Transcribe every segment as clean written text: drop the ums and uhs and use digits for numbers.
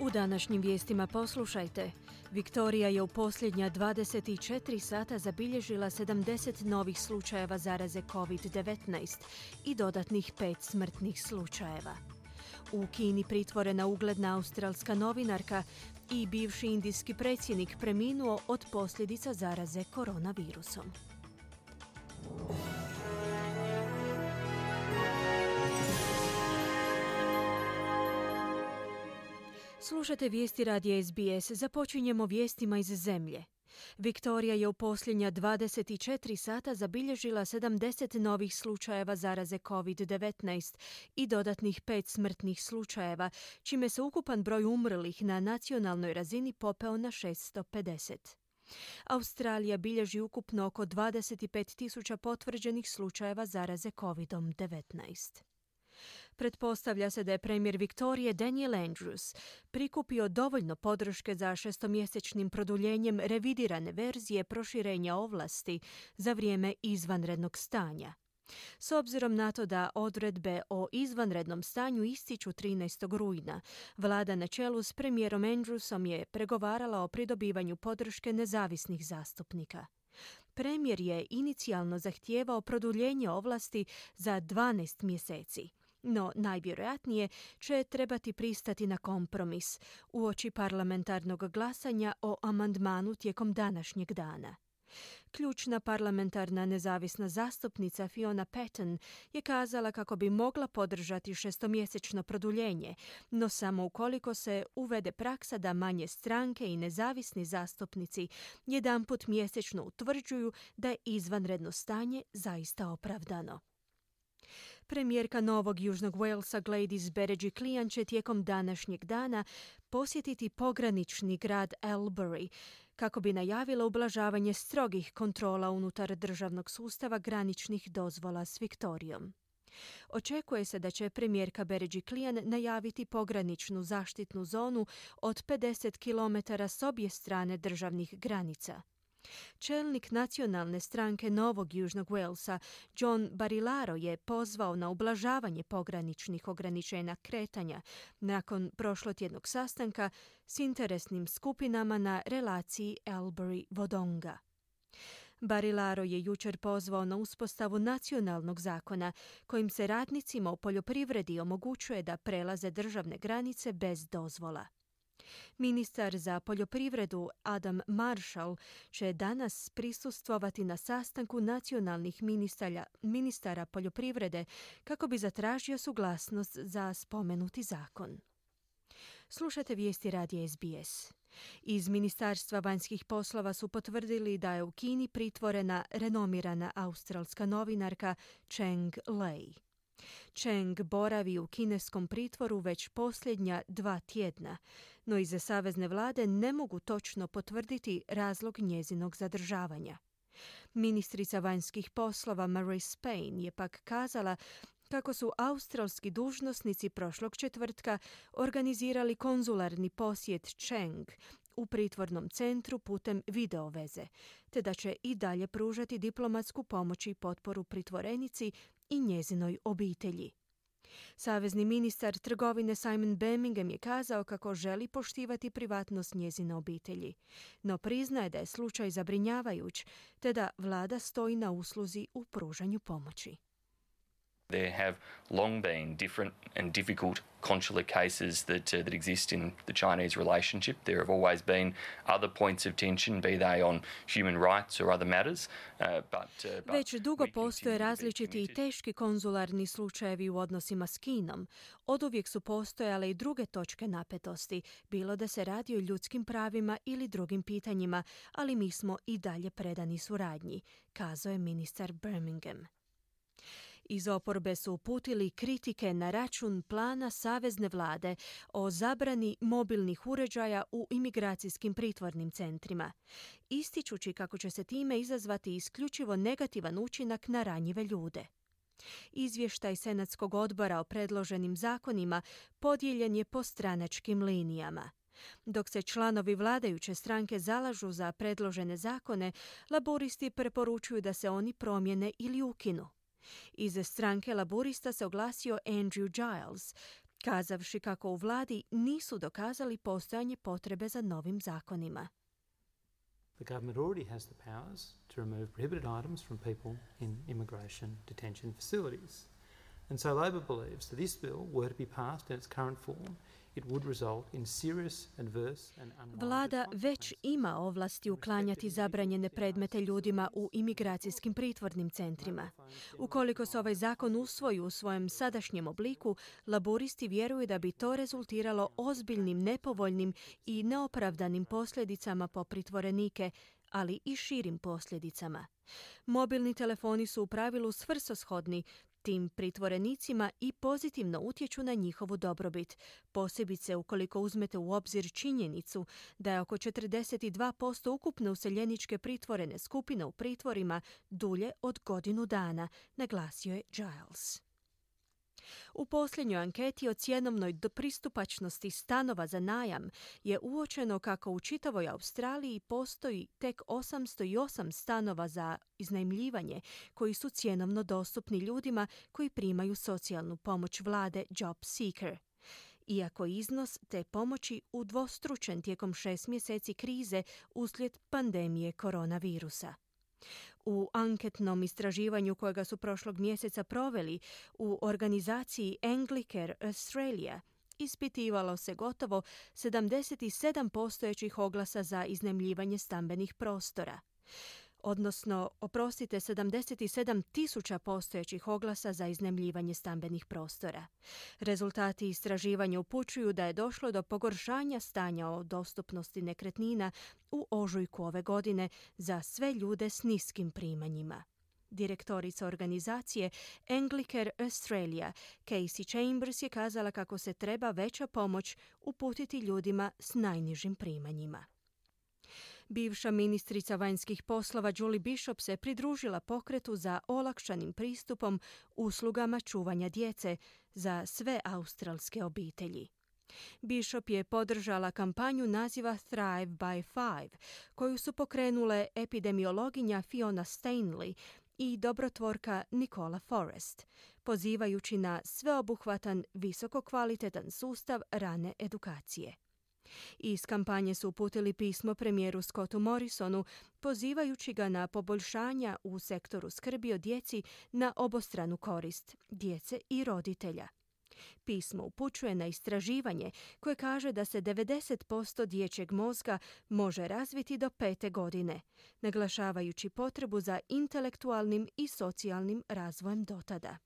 U današnjim vijestima poslušajte. Viktorija je u posljednja 24 sata zabilježila 70 novih slučajeva zaraze COVID-19 i dodatnih 5 smrtnih slučajeva. U Kini pritvorena ugledna australska novinarka i bivši indijski predsjednik preminuo od posljedica zaraze koronavirusom. Slušate vijesti radija SBS. Započinjemo vijestima iz zemlje. Viktorija je u posljednja 24 sata zabilježila 70 novih slučajeva zaraze COVID-19 i dodatnih 5 smrtnih slučajeva, čime se ukupan broj umrlih na nacionalnoj razini popeo na 650. Australija bilježi ukupno oko 25.000 potvrđenih slučajeva zaraze COVID-19. Pretpostavlja se da je premijer Viktorije Daniel Andrews prikupio dovoljno podrške za šestomjesečnim produljenjem revidirane verzije proširenja ovlasti za vrijeme izvanrednog stanja. S obzirom na to da odredbe o izvanrednom stanju ističu 13. rujna, vlada na čelu s premijerom Andrewsom je pregovarala o pridobivanju podrške nezavisnih zastupnika. Premijer je inicijalno zahtijevao produljenje ovlasti za 12 mjeseci, no najvjerojatnije će trebati pristati na kompromis uoči parlamentarnog glasanja o amandmanu tijekom današnjeg dana. Ključna parlamentarna nezavisna zastupnica Fiona Patten je kazala kako bi mogla podržati šestomjesečno produljenje, no samo ukoliko se uvede praksa da manje stranke i nezavisni zastupnici jedanput mjesečno utvrđuju da je izvanredno stanje zaista opravdano. Premijerka Novog Južnog Walesa Gladys Berejiklian će tijekom današnjeg dana posjetiti pogranični grad Albury kako bi najavila ublažavanje strogih kontrola unutar državnog sustava graničnih dozvola s Viktorijom. Očekuje se da će premijerka Berejiklian najaviti pograničnu zaštitnu zonu od 50 km s obje strane državnih granica. Čelnik nacionalne stranke Novog Južnog Walesa, John Barilaro, je pozvao na ublažavanje pograničnih ograničenja kretanja nakon prošlotjednog sastanka s interesnim skupinama na relaciji Albury-Wodonga. Barilaro je jučer pozvao na uspostavu nacionalnog zakona kojim se radnicima u poljoprivredi omogućuje da prelaze državne granice bez dozvola. Ministar za poljoprivredu Adam Marshall će danas prisustvovati na sastanku nacionalnih ministara poljoprivrede kako bi zatražio suglasnost za spomenuti zakon. Slušate vijesti radija SBS. Iz Ministarstva vanjskih poslova su potvrdili da je u Kini pritvorena renomirana australska novinarka Cheng Lei. Cheng boravi u kineskom pritvoru već posljednja 2 tjedna, no iza savezne vlade ne mogu točno potvrditi razlog njezinog zadržavanja. Ministrica vanjskih poslova Marise Payne je pak kazala kako su australski dužnosnici prošlog četvrtka organizirali konzularni posjet Cheng u pritvornom centru putem videoveze, te da će i dalje pružati diplomatsku pomoć i potporu pritvorenici i njezinoj obitelji. Savezni ministar trgovine Simon Birmingham je kazao kako želi poštivati privatnost njezine obitelji, no priznaje da je slučaj zabrinjavajuć, te da vlada stoji na usluzi u pružanju pomoći. There have long been different and difficult consular cases that exist in the Chinese relationship. There have always been other points of tension, be they on human rights or other matters. Već dugo postoje različiti i teški konzularni slučajevi u odnosima s Kinom. Oduvijek su postojale i druge točke napetosti, bilo da se radi o ljudskim pravima ili drugim pitanjima, ali mi smo i dalje predani suradnji, kazao je ministar Birmingham. Iz oporbe su uputili kritike na račun plana savezne vlade o zabrani mobilnih uređaja u imigracijskim pritvornim centrima, ističući kako će se time izazvati isključivo negativan učinak na ranjive ljude. Izvještaj Senatskog odbora o predloženim zakonima podijeljen je po stranačkim linijama. Dok se članovi vladajuće stranke zalažu za predložene zakone, laburisti preporučuju da se oni promijene ili ukinu. Iz stranke laburista se oglasio Andrew Giles, kazavši kako u vladi nisu dokazali postojanje potrebe za novim zakonima. The government already has the powers to remove prohibited items from people in immigration detention facilities. And so Labor believes that this bill, were to be passed in its current form, it would result in serious adverse and unwanted Vlada već ima ovlasti uklanjati zabranjene predmete ljudima u imigracijskim pritvornim centrima. Ukoliko se ovaj zakon usvoji u svojem sadašnjem obliku, laburisti vjeruju da bi to rezultiralo ozbiljnim, nepovoljnim i neopravdanim posljedicama po pritvorenike, ali i širim posljedicama. Mobilni telefoni su u pravilu svrsishodni tim pritvorenicima i pozitivno utječu na njihovu dobrobit, posebice ukoliko uzmete u obzir činjenicu da je oko 42% ukupne useljeničke pritvorene skupine u pritvorima dulje od godinu dana, naglasio je Giles. U posljednjoj anketi o cjenovnoj pristupačnosti stanova za najam je uočeno kako u čitavoj Australiji postoji tek 808 stanova za iznajmljivanje koji su cjenovno dostupni ljudima koji primaju socijalnu pomoć vlade Job Seeker. Iako iznos te pomoći udvostručen tijekom 6 mjeseci krize uslijed pandemije koronavirusa. U anketnom istraživanju kojega su prošlog mjeseca proveli u organizaciji Anglicare Australia ispitivalo se gotovo 77 postojećih oglasa za iznajmljivanje stambenih prostora. 77 tisuća postojećih oglasa za iznajmljivanje stambenih prostora. Rezultati istraživanja upućuju da je došlo do pogoršanja stanja o dostupnosti nekretnina u ožujku ove godine za sve ljude s niskim primanjima. Direktorica organizacije Anglicare Australia, Casey Chambers, je kazala kako se treba veća pomoć uputiti ljudima s najnižim primanjima. Bivša ministrica vanjskih poslova Julie Bishop se pridružila pokretu za olakšanim pristupom uslugama čuvanja djece za sve australske obitelji. Bishop je podržala kampanju naziva Thrive by Five, koju su pokrenule epidemiologinja Fiona Stanley i dobrotvorka Nicola Forrest, pozivajući na sveobuhvatan, visokokvalitetan sustav rane edukacije. Iz kampanje su uputili pismo premijeru Scottu Morrisonu, pozivajući ga na poboljšanja u sektoru skrbi o djeci na obostranu korist djece i roditelja. Pismo upućuje na istraživanje koje kaže da se 90% dječjeg mozga može razviti do 5. godine, naglašavajući potrebu za intelektualnim i socijalnim razvojem dotada.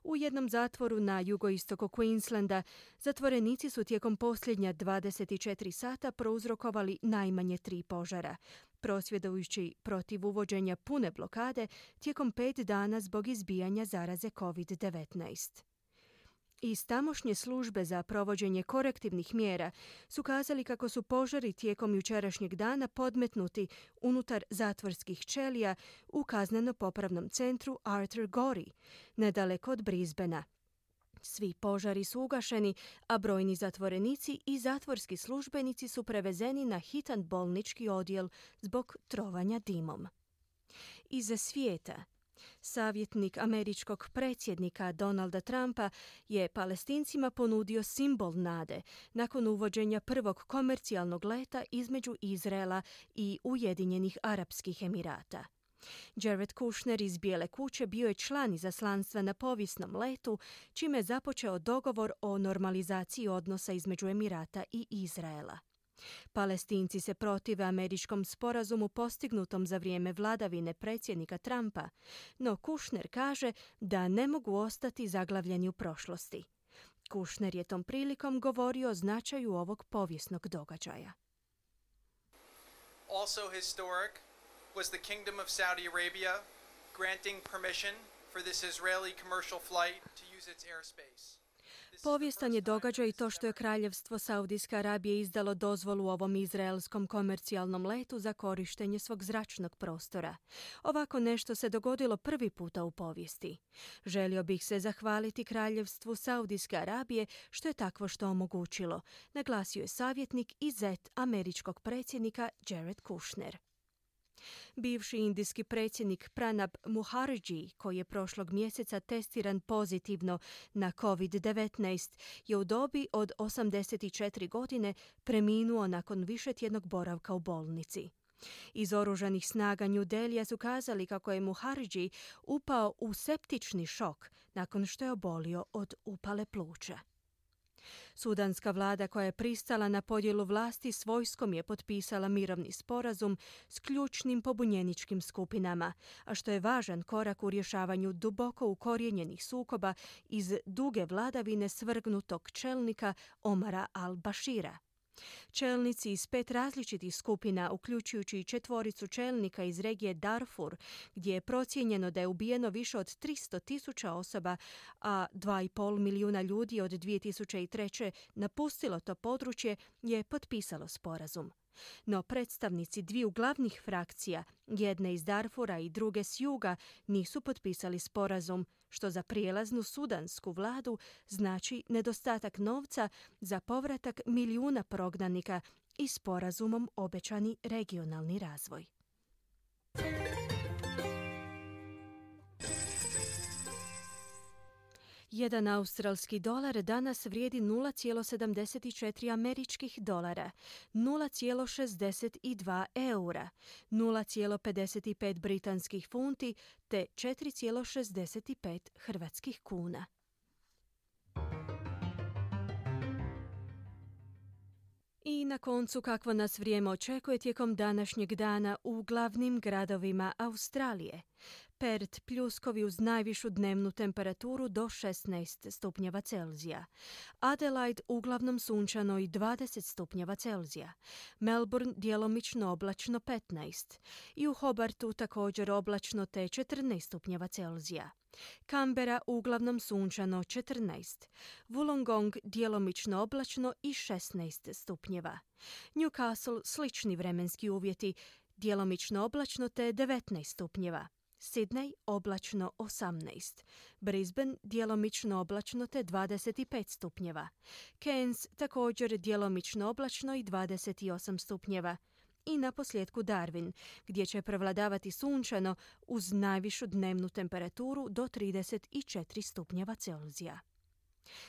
U jednom zatvoru na jugoistoku Queenslanda zatvorenici su tijekom posljednja 24 sata prouzrokovali najmanje 3 požara, prosvjedujući protiv uvođenja pune blokade tijekom 5 dana zbog izbijanja zaraze COVID-19. Iz tamošnje službe za provođenje korektivnih mjera su kazali kako su požari tijekom jučerašnjeg dana podmetnuti unutar zatvorskih ćelija u kazneno-popravnom centru Arthur Gorrie, nedaleko od Brisbanea. Svi požari su ugašeni, a brojni zatvorenici i zatvorski službenici su prevezeni na hitan bolnički odjel zbog trovanja dimom. Iza svijeta, savjetnik američkog predsjednika Donalda Trumpa je Palestincima ponudio simbol nade nakon uvođenja prvog komercijalnog leta između Izraela i Ujedinjenih Arapskih Emirata. Jared Kushner iz Bijele kuće bio je član izaslanstva na povijesnom letu, čime je započeo dogovor o normalizaciji odnosa između Emirata i Izraela. Palestinci se protive američkom sporazumu postignutom za vrijeme vladavine predsjednika Trumpa, no Kushner kaže da ne mogu ostati zaglavljeni u prošlosti. Kushner je tom prilikom govorio o značaju ovog povijesnog događaja. Also historic was the Kingdom of Saudi Arabia granting permission for this Israeli commercial flight to use its airspace. Povijestan je događaj i to što je Kraljevstvo Saudijske Arabije izdalo dozvolu ovom izraelskom komercijalnom letu za korištenje svog zračnog prostora. Ovako nešto se dogodilo prvi puta u povijesti. Želio bih se zahvaliti Kraljevstvu Saudijske Arabije što je takvo što omogućilo, naglasio je savjetnik i zet američkog predsjednika Jared Kushner. Bivši indijski predsjednik Pranab Mukherjee, koji je prošlog mjeseca testiran pozitivno na COVID-19, je u dobi od 84 godine preminuo nakon višetjednog boravka u bolnici. Iz oružanih snaga New Delhija su kazali kako je Mukherjee upao u septični šok nakon što je obolio od upale pluća. Sudanska vlada koja je pristala na podjelu vlasti s vojskom je potpisala mirovni sporazum s ključnim pobunjeničkim skupinama, a što je važan korak u rješavanju duboko ukorijenjenih sukoba iz duge vladavine svrgnutog čelnika Omara al-Bashira. Čelnici iz 5 različitih skupina, uključujući i 4 čelnika iz regije Darfur, gdje je procijenjeno da je ubijeno više od 300.000 osoba, a 2,5 milijuna ljudi od 2003. napustilo to područje, je potpisalo sporazum. No predstavnici dviju glavnih frakcija, jedne iz Darfura i druge s juga, nisu potpisali sporazum, što za prijelaznu sudansku vladu znači nedostatak novca za povratak milijuna prognanika i sporazumom obećani regionalni razvoj. Jedan australski dolar danas vrijedi 0,74 američkih dolara, 0,62 eura, 0,55 britanskih funti te 4,65 hrvatskih kuna. I na koncu kakvo nas vrijeme očekuje tijekom današnjeg dana u glavnim gradovima Australije. Perth pljuskovi uz najvišu dnevnu temperaturu do 16 stupnjeva Celzija. Adelaide uglavnom sunčano i 20 stupnjeva Celzija. Melbourne djelomično oblačno 15. I u Hobartu također oblačno te 14 stupnjeva Celzija. Canberra uglavnom sunčano 14. Wollongong djelomično oblačno i 16 stupnjeva. Newcastle slični vremenski uvjeti, djelomično oblačno te 19 stupnjeva. Sydney oblačno 18. Brisbane djelomično oblačno te 25 stupnjeva. Cairns također djelomično oblačno i 28 stupnjeva. I na posljedku Darwin, gdje će prevladavati sunčano uz najvišu dnevnu temperaturu do 34 stupnjeva Celzija.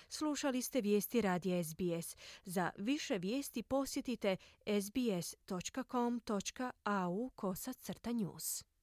Slušali ste vijesti radija SBS. Za više vijesti posjetite sbs.com.au/news.